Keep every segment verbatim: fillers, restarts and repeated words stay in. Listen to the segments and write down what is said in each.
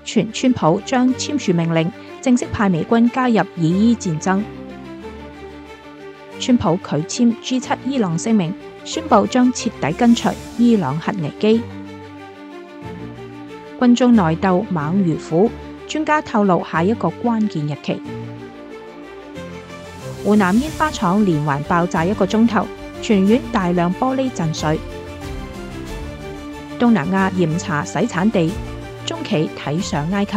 傳川普將簽署命令，正式派美軍加入以伊戰爭。川普拒簽 G 七 伊朗聲明，宣布將徹底根除伊朗核危機。軍中內鬥猛如虎，專家透露下一個關鍵日期。湖南煙花廠連環爆炸一個鐘頭，全院大量玻璃震碎。東南亞嚴查洗產地，中企睇上埃及。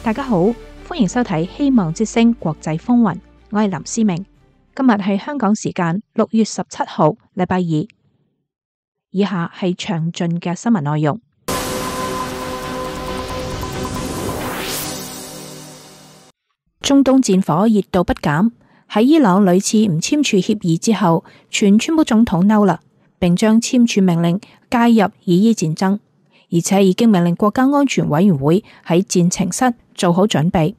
大家好，歡迎收睇《希望之聲》國際風雲，我係林思明。今日係香港時間六月十七號，禮拜二。以下係詳盡嘅新聞內容。中東戰火熱度不減，喺伊朗屢次唔簽署協議之後，全川普總統嬲啦，並將簽署命令介入以伊戰爭，而且已經命令國家安全委員會喺戰情室做好準備。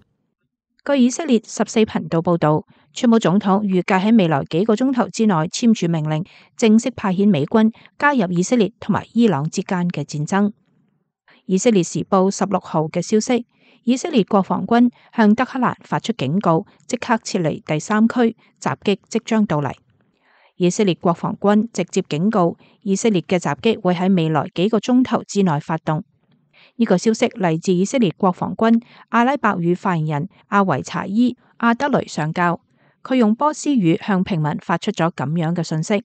據以色列十四頻道報道，川普總統預計喺未來幾個鐘頭之內簽署命令，正式派遣美軍加入以色列同埋伊朗之間嘅戰爭。以色列時報十六號嘅消息，以色列國防軍向德黑蘭發出警告，即刻撤離第三區，襲擊即將到嚟。以色列國防軍直接警告，以色列嘅襲擊會喺未來幾個鐘頭之內發動。呢個消息嚟自以色列國防軍阿拉伯語發言人阿維查伊阿德雷上校，佢用波斯語向平民發出咗咁樣嘅信息：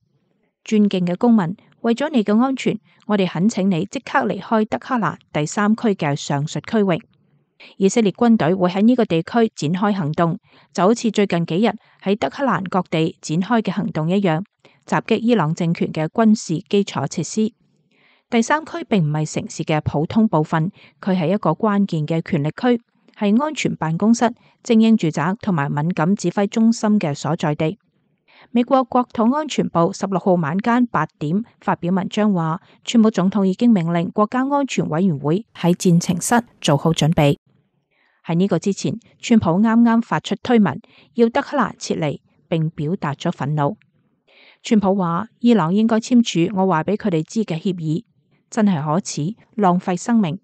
尊敬嘅公民，為咗你嘅安全，我哋懇請你即刻離開德黑蘭第三區嘅上述區域。以色列軍隊會喺呢個地區展開行動，就好似最近幾日喺德黑蘭各地展開嘅行動一樣，襲擊伊朗政權嘅軍事基礎設施。第三區並唔係城市嘅普通部分，佢係一個關鍵嘅權力區，係安全辦公室、精英住宅同埋敏感指揮中心嘅所在地。美國國土安全部十六號晚間八點發表文章話，川普總統已經命令國家安全委員會喺戰情室做好準備。喺呢個之前，川普啱啱發出推文，要德黑蘭撤離，並表達咗憤怒。川普話，伊朗應該簽署我話俾佢哋知嘅協議，真係可恥，浪費生命。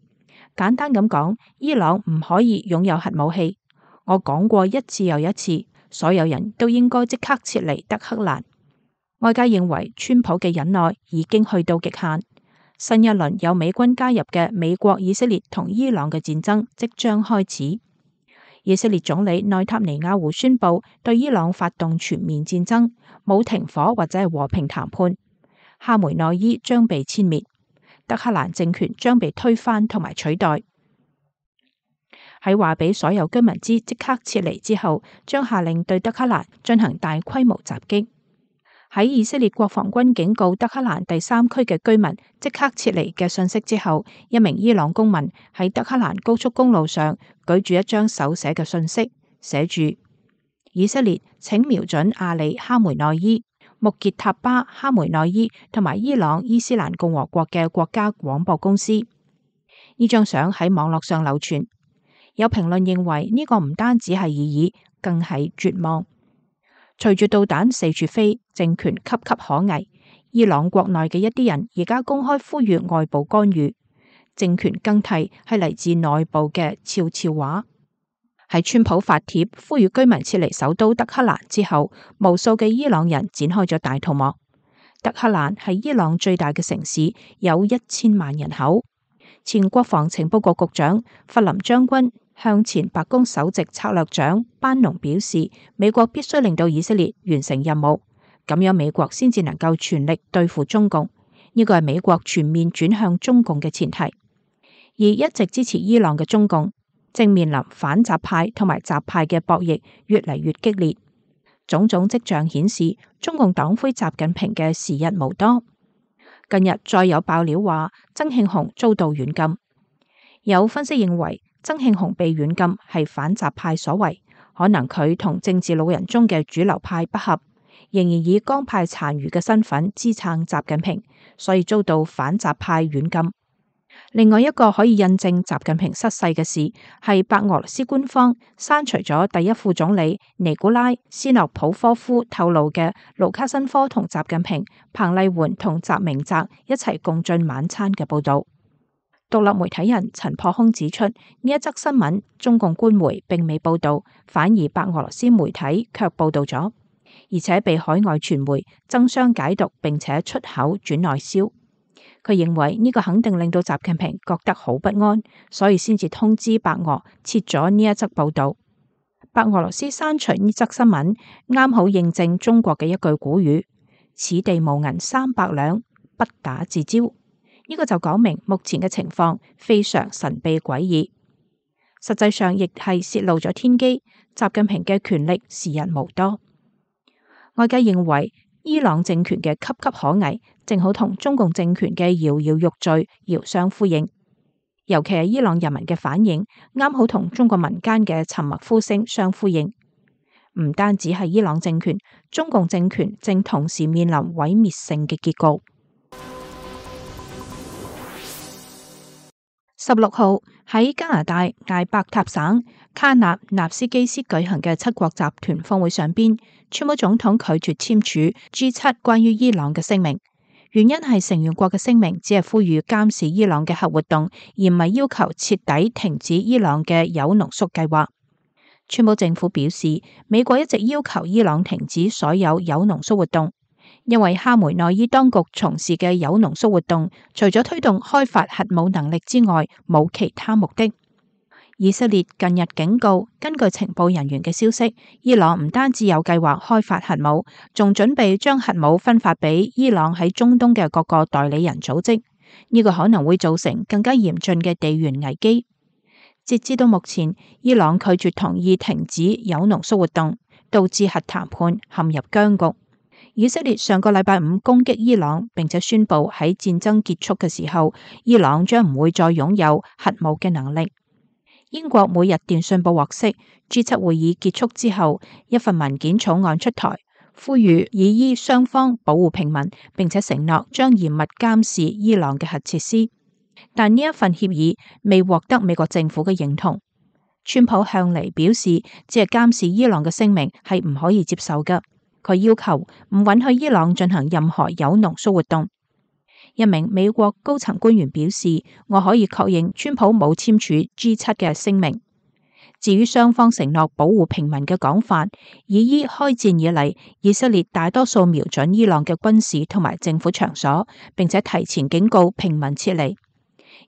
簡單咁講，伊朗唔可以擁有核武器。我講過一次又一次，所有人都應該即刻撤離德黑蘭。外界認為川普嘅忍耐已經去到極限。新一輪有美軍加入嘅美國、以色列同伊朗嘅戰爭即將開始。以色列總理內塔尼亞胡宣布對伊朗發動全面戰爭，冇停火或者係和平談判。哈梅內伊將被殲滅，德黑蘭政權將被推翻同埋取代。喺話俾所有居民知即刻撤離之後，將下令對德黑蘭進行大規模襲擊。喺以色列國防軍警告德黑蘭第三區嘅居民即刻撤離嘅信息之後，一名伊朗公民喺德黑蘭高速公路上舉住一張手寫嘅信息，寫住：以色列請瞄準阿里哈梅內伊、穆傑塔巴哈梅內伊同埋伊朗伊斯蘭共和國嘅國家廣播公司。呢張相喺網絡上流傳，有評論認為呢個唔單止係異議，更係絕望。隨住導彈四處飛，政權岌岌可危。伊朗國內嘅一啲人而家公開呼籲外部干預，政權更替係嚟自內部嘅悄悄話。喺川普發帖呼籲居民撤離首都德黑蘭之後，無數嘅伊朗人展開咗大逃亡。德黑蘭係伊朗最大嘅城市，有一千萬人口。前國防情報局局長弗林將軍向前白宮首席策略長班農表示，美國必須令到以色列完成任務，咁樣美國先至能夠全力對付中共。呢個係美國全面轉向中共嘅前提。而一直支持伊朗嘅中共正面臨反習派同埋習派嘅博弈越嚟越激烈，種種跡象顯示中共黨魁習近平嘅時日無多。近日再有爆料話曾慶紅遭到軟禁，有分析認為曾慶紅被軟禁係反習派所為，可能佢同政治老人中嘅主流派不合，仍然以江派殘餘嘅身份支撐習近平，所以遭到反習派軟禁。另外一個可以印證習近平失勢嘅事，係白俄羅斯官方刪除咗第一副總理尼古拉斯諾普科夫透露嘅盧卡申科同習近平、彭麗媛同習明澤一齊共進晚餐嘅報道。獨立媒體人陳破空指出，呢一則新聞中共官媒並未報道，反而白俄羅斯媒體卻報道咗，而且被海外傳媒爭相解讀，並且出口轉內銷。佢認為呢個肯定令到習近平覺得好不安，所以先至通知白俄撤咗呢一則報道。白俄羅斯刪除呢則新聞，啱好印證中國嘅一句古語：此地無銀三百兩，不打自招。呢個就講明目前嘅情況非常神秘詭異，實際上亦係洩露咗天機。習近平嘅權力時日無多，外界認為伊朗政權嘅岌岌可危，正好同中共政權嘅搖搖欲墜遙相呼應。尤其係伊朗人民嘅反應，啱好同中國民間嘅沉默呼聲相呼應。唔單止係伊朗政權，中共政權正同時面臨毀滅性嘅結局。十六號喺加拿大艾伯塔省卡納納斯基斯舉行嘅七國集團峰會上邊，川普總統拒絕簽署 G 七關於伊朗嘅聲明，原因係成員國嘅聲明只係呼籲監視伊朗嘅核活動，而唔係要求徹底停止伊朗嘅鈾濃縮計劃。川普政府表示，美國一直要求伊朗停止所有鈾濃縮活動，因為哈梅內伊當局從事嘅鈾濃縮活動，除咗推動開發核武能力之外，冇其他目的。以色列近日警告，根據情報人員嘅消息，伊朗唔單止有計劃開發核武，仲準備將核武分發俾伊朗喺中東嘅各個代理人組織。呢個可能會造成更加嚴峻嘅地緣危機。截至到目前，伊朗拒絕同意停止鈾濃縮活動，導致核談判陷入僵局。以色列上個禮拜五攻擊伊朗，並且宣布喺戰爭結束嘅時候，伊朗將唔會再擁有核武嘅能力。英國每日電訊報獲悉 G 七會議結束之後，一份文件草案出台，呼籲以伊雙方保護平民，並且承諾將嚴密監視伊朗嘅核設施。但呢一份協議未獲得美國政府嘅認同。川普向嚟表示，只係監視伊朗嘅聲明係唔可以接受嘅。佢要求唔允許伊朗進行任何鈾濃縮活動。一名美國高層官員表示，我可以確認川普冇簽署 G 七嘅聲明。至於雙方承諾保護平民嘅講法，以伊開戰以嚟，以色列大多數瞄準伊朗嘅軍事同埋政府場所，並且提前警告平民撤離。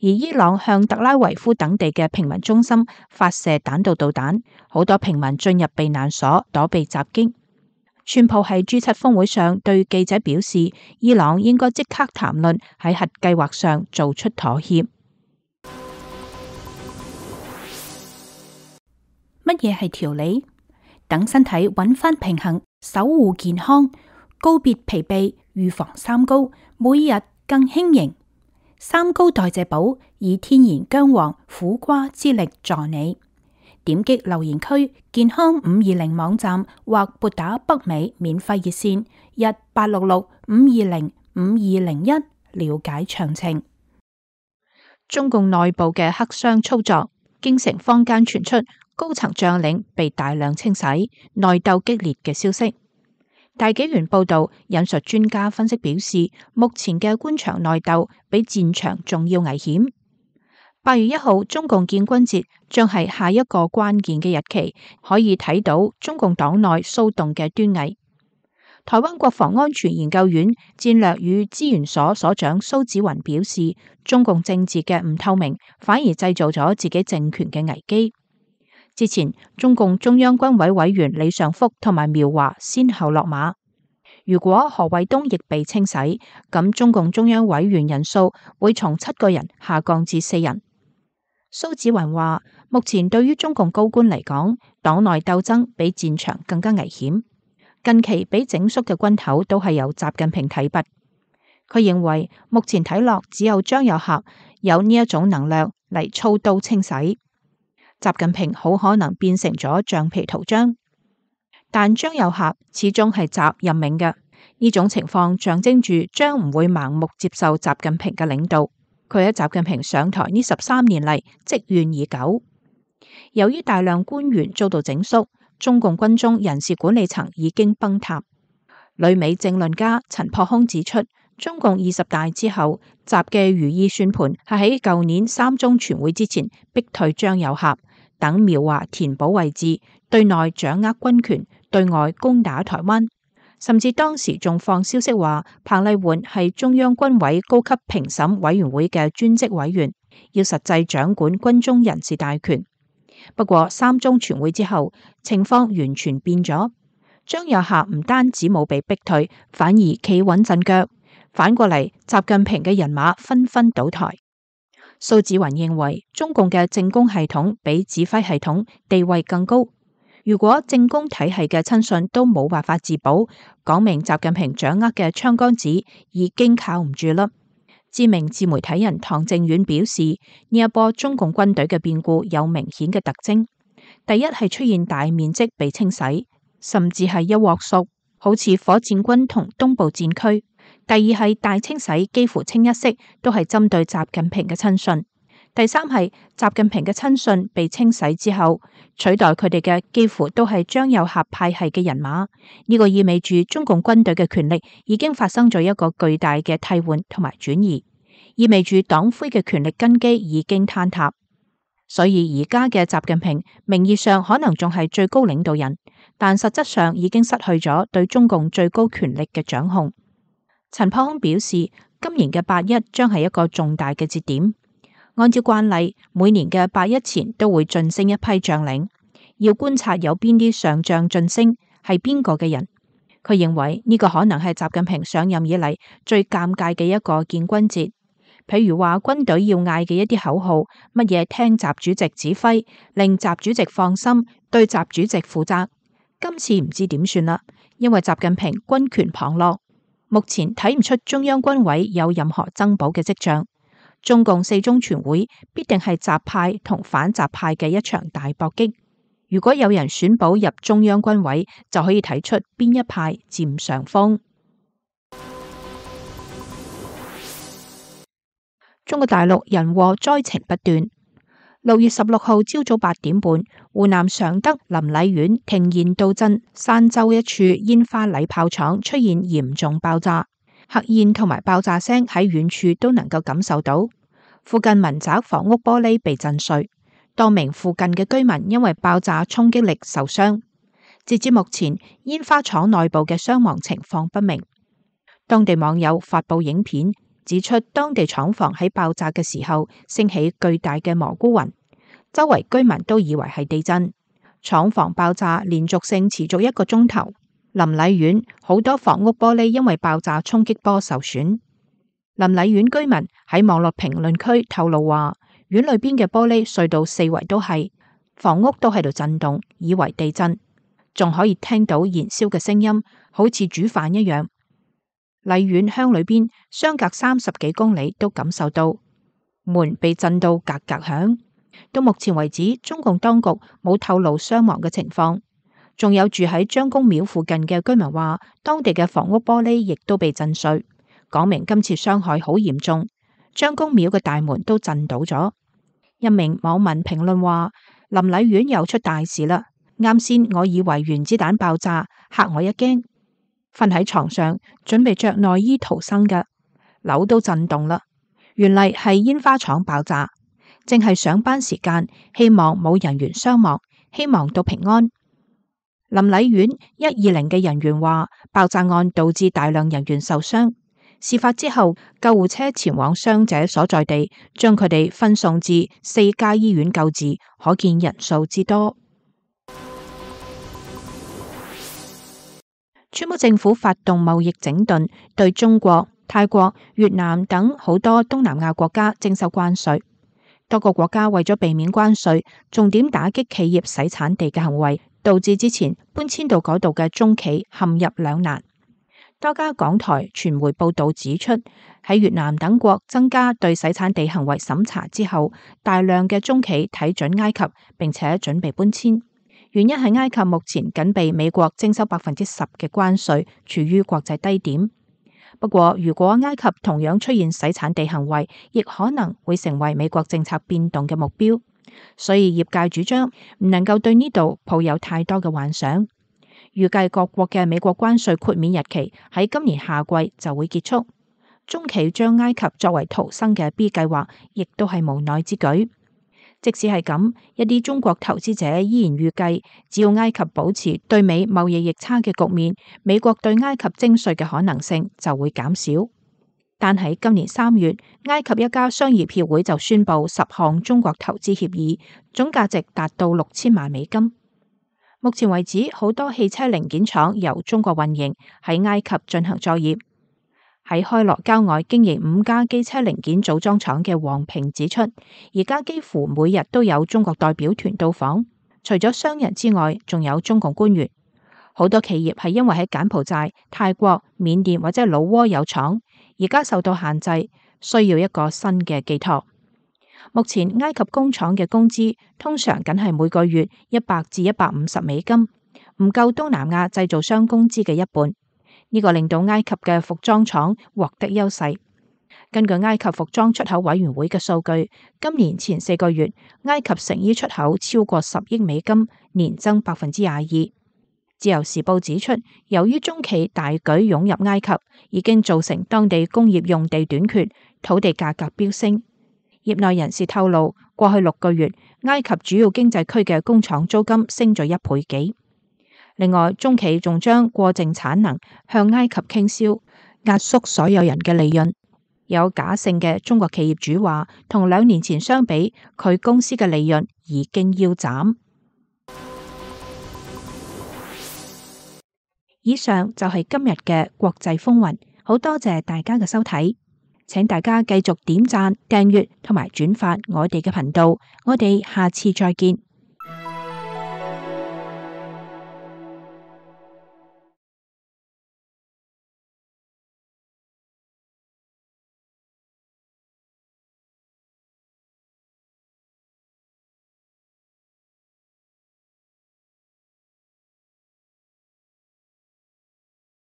而伊朗向特拉維夫等地嘅平民中心發射彈道導彈，好多平民進入避難所躲避襲擊。川普喺 G 七峰會上對記者表示，伊朗應該即刻談論喺核計劃上做出妥協。乜嘢係調理？等身體揾返平衡，守護健康，告別疲憊，預防三高，每日更輕盈。三高代謝寶以天然薑黃苦瓜之力助你。點擊留言區健康五二零網站或撥打北美免費熱線一八六六五二零五二零一了解詳情。中共內部嘅黑箱操作，京城坊間傳出高層將領被大量清洗、內鬥激烈嘅消息。大紀元報道引述專家分析表示，目前嘅官場內鬥比戰場仲要危險。八月一號，中共建軍節將係下一個關鍵嘅日期，可以睇到中共黨內騷動嘅端倪。台灣國防安全研究院戰略與資源所所長蘇紫雲表示，中共政治嘅唔透明，反而製造咗自己政權嘅危機。之前，中共中央軍委委員李尚福同埋苗華先後落馬。如果何衛東亦被清洗，咁中共中央委員人數會從七個人下降至四人。蘇紫雲話：目前對於中共高官嚟講，黨內鬥爭比戰場更加危險。近期被整肅嘅軍頭都係由習近平提拔。佢認為目前睇落只有張又俠有呢一種能量嚟操刀清洗。習近平好可能變成咗橡皮圖章，但張又俠始終係習任命嘅。呢種情況象徵住將唔會盲目接受習近平嘅領導。佢喺習近平上台呢十三年嚟積怨已久。由於大量官員遭到整肅，中共軍中人事管理層已經崩塌。旅美政論家陳破空指出，中共二十大之後，習嘅如意算盤係喺舊年三中全會之前逼退張又俠等描畫填補位置，對內掌握軍權，對外攻打台灣。甚至當時仲放消息話彭麗媛係中央軍委高級評審委員會嘅專職委員，要實際掌管軍中人事大權。不過三中全會之後，情況完全變咗。張又俠唔單止冇被逼退，反而企穩陣腳。反過嚟，習近平嘅人馬紛紛倒台。蘇紫雲認為，中共嘅政工系統比指揮系統地位更高。如果政工體系嘅親信都冇辦法自保，講明習近平掌握嘅槍桿子已經靠唔住啦。知名自媒體人唐靖遠表示，呢一波中共軍隊嘅變故有明顯嘅特徵。第一係出現大面積被清洗，甚至係一鑊熟，好似火箭軍同東部戰區。第二係大清洗幾乎清一色都係針對習近平嘅親信。第三係習近平嘅親信被清洗之後，取代佢哋嘅幾乎都係張又俠派系嘅人馬。呢個意味住中共軍隊嘅權力已經發生咗一個巨大嘅替換同埋轉移，意味住黨魁嘅權力根基已經坍塌。所以而家嘅習近平名義上可能仲係最高領導人，但實質上已經失去咗對中共最高權力嘅掌控。陳柏空表示，今年嘅八一將係一個重大嘅節點。按照慣例，每年嘅八一前都會晉升一批將領，要觀察有邊啲上將晉升係邊個嘅人。佢認為呢個可能係習近平上任以嚟最尷尬嘅一個建軍節。譬如話軍隊要嗌嘅一啲口號，乜嘢聽習主席指揮，令習主席放心，對習主席負責。今次唔知點算啦，因為習近平軍權旁落，目前睇唔出中央軍委有任何增補嘅跡象。中共四中全會必定係習派同反習派嘅一場大搏擊。如果有人選補入中央軍委，就可以睇出邊一派佔上風。中國大陸人禍災情不斷。六月十六號朝早八點半，湖南常德臨澧縣亭峴道鎮山洲一處煙花禮炮廠出現嚴重爆炸。黑煙同埋爆炸聲喺遠處都能夠感受到，附近民宅房屋玻璃被震碎，多名附近嘅居民因為爆炸衝擊力受傷。截至目前，煙花廠內部嘅傷亡情況不明。當地網友發布影片，指出當地廠房喺爆炸嘅時候升起巨大嘅蘑菇雲，周圍居民都以為係地震。廠房爆炸連續性持續一個鐘頭。臨澧縣好多房屋玻璃因為爆炸衝擊波受損。臨澧縣居民喺網絡評論區透露話，縣裏邊嘅玻璃碎到四圍都係，房屋都喺度震動，以為地震，仲可以聽到燃燒嘅聲音，好似煮飯一樣。澧縣鄉裏邊相隔三十幾公里都感受到門被震到格格響。到目前為止，中共當局冇透露傷亡嘅情況。仲有住喺張公廟附近嘅居民話，當地嘅房屋玻璃亦都被震碎，講明今次傷害好嚴重。張公廟嘅大門都震倒咗。一名網民評論話，臨澧縣又出大事啦！啱先我以為原子彈爆炸，嚇我一驚。瞓喺床上準備着內衣逃生嘅，樓都震動啦。原嚟係煙花廠爆炸，正係上班時間，希望冇人員傷亡，希望都平安。臨澧縣一二零嘅人員話，爆炸案導致大量人員受傷。事發之後，救護車前往傷者所在地，將佢哋分送至四家醫院救治，可見人數之多。川普政府發動貿易整頓，對中國、泰國、越南等好多東南亞國家徵收關稅。多個國家為咗避免關稅，重點打擊企業洗產地嘅行為，導致之前搬遷到嗰度嘅中企陷入兩難。多家港台傳媒報道指出，喺越南等國增加對洗產地行為審查之後，大量嘅中企睇準埃及，並且準備搬遷。原因係埃及目前僅被美國徵收百分之十嘅關稅，處於國際低點。不過，如果埃及同樣出現洗產地行為，亦可能會成為美國政策變動嘅目標。所以業界主張唔能夠對呢度抱有太多嘅幻想。預計各國嘅美國關稅豁免日期喺今年夏季就會結束。中企將埃及作為逃生嘅 B 計劃，亦都係無奈之舉。即使係咁，一啲中國投資者依然預計，只要埃及保持對美貿易逆差嘅局面，美國對埃及徵稅嘅可能性就會減少。但喺今年三月，埃及一家商業協會就宣布十項中國投資協議，總價值達到六千萬美金。目前為止，好多汽車零件廠由中國運營喺埃及進行作業。喺開羅郊外經營五家機車零件組裝廠嘅黃平指出，而家幾乎每日都有中國代表團到訪，除咗商人之外，仲有中共官員。好多企業係因為喺柬埔寨、泰國、緬甸或者老撾有廠，而家受到限制，需要一個新嘅寄託。目前埃及工廠嘅工資通常僅係每個月一百至一百五十美金，唔夠東南亞製造商工資嘅一半。呢個令到埃及嘅服裝廠獲得優勢。根據埃及服裝出口委員會嘅數據，今年前四個月，埃及成衣出口超過十億美金，年增百分之廿二。自由時報指出，由於中企大舉湧入埃及，已經造成當地工業用地短缺，土地價格飆升。業內人士透露，過去六個月，埃及主要經濟區嘅工廠租金升咗一倍幾。另外，中企仲將過剩產能向埃及傾銷，壓縮所有人嘅利潤。有假性嘅中國企業主話，同兩年前相比，佢公司嘅利潤已經腰斬。以上就係今日嘅國際風雲，好多謝大家嘅收睇，請大家繼續點讚、訂閱同埋轉發我哋嘅頻道，我哋下次再見。